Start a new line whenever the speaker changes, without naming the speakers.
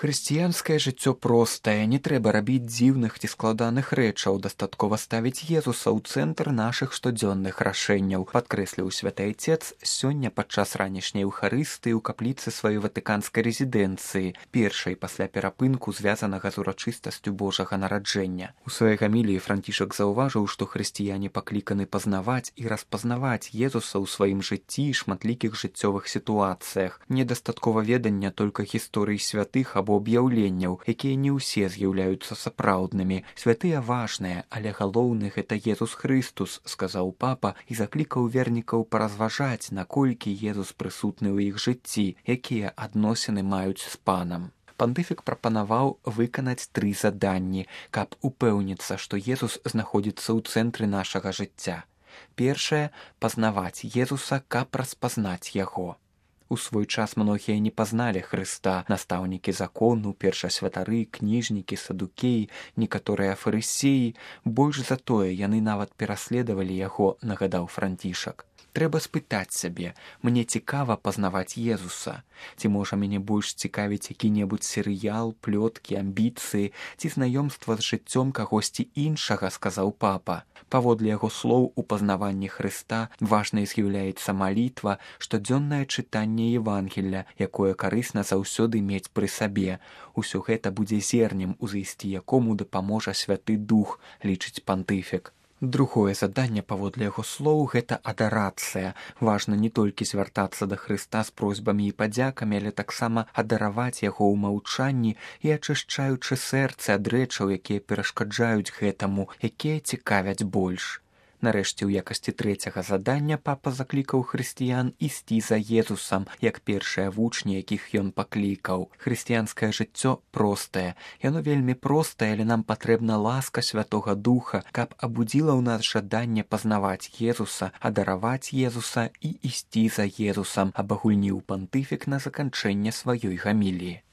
Хрысціянскае жыццё простае, не трэба рабіць дзіўных ці складаных рэчаў, дастаткова ставіць Езуса ў цэнтр нашых штодзённых рашэнняў, падкрэсліў святы айцец сёння падчас ранішняй эўхарыстыі ў капліцы сваёй ватыканскай рэзідэнцыі, першай пасля перапынку, звязанага з урачыстасцю Божага нараджэння. У сваёй гаміліі Францішак заўважыў, што хрысціяне пакліканы пазнаваць і распазнаваць Езуса ў сваім жыцці і шматлікіх жыццёвых сітуацыях. Недастаткова ведання толькі гісторыі святых або аб'яўленняў, якія не ўсе з'яўляюцца сапраўднымі. Святыя важныя, але галоўны гэта Езус Хрыстус, сказаў папа і заклікаў вернікаў паразважаць, наколькі Езус прысутны ў іх жыцці, якія адносіны маюць з панам. Пантыфік прапанаваў выканаць 3 заданні, каб упэўніцца, што Езус знаходзіцца ў цэнтры нашага жыцця. Першае – пазнаваць Езуса, каб распазнаць яго. У свой час многія не пазналі Хрыста, настаўнікі закону, першасвятары, кніжнікі, садукеі, некаторыя фарысеі. Больш за тое, яны нават пераследавалі яго, нагадаў Францішак. Трэба спытаць сябе, мне цікава пазнаваць Езуса. Ці можа мяне больш цікавіць які-небудзь серыял, плёткі, амбіцыі, ці знаёмства з жыццём кагосьці іншага, сказаў папа. Паводле яго слоў, у пазнаванні Хрыста важнай з'яўляецца малітва, штодзённае чытанне Евангелля, якое карысна заўсёды мець пры сабе. Усё гэта будзе зернем, узысці якому дапаможа Святы Дух, лічыць пантыфік. Другое заданне, паводле яго слоў, гэта адарацыя. Важна не толькі звяртацца да Хрыста з просьбамі і падзякамі, але таксама адараваць яго ў маўчанні і ачышчаючы сэрцы ад рэчаў, якія перашкаджаюць гэтаму, якія цікавяць больш. Нарэшце, у якасці трэцяга задання папа заклікаў хрысціян ісці за Езусам, як першыя вучні, якіх ён паклікаў. Хрысціянскае жыццё простае. Яно вельмі простае, але нам патрэбна ласка Святога Духа, каб абудзіла ў нас жаданне пазнаваць Езуса, адараваць Езуса і ісці за Езусам, абагульніў пантыфік на заканчэнне сваёй гаміліі.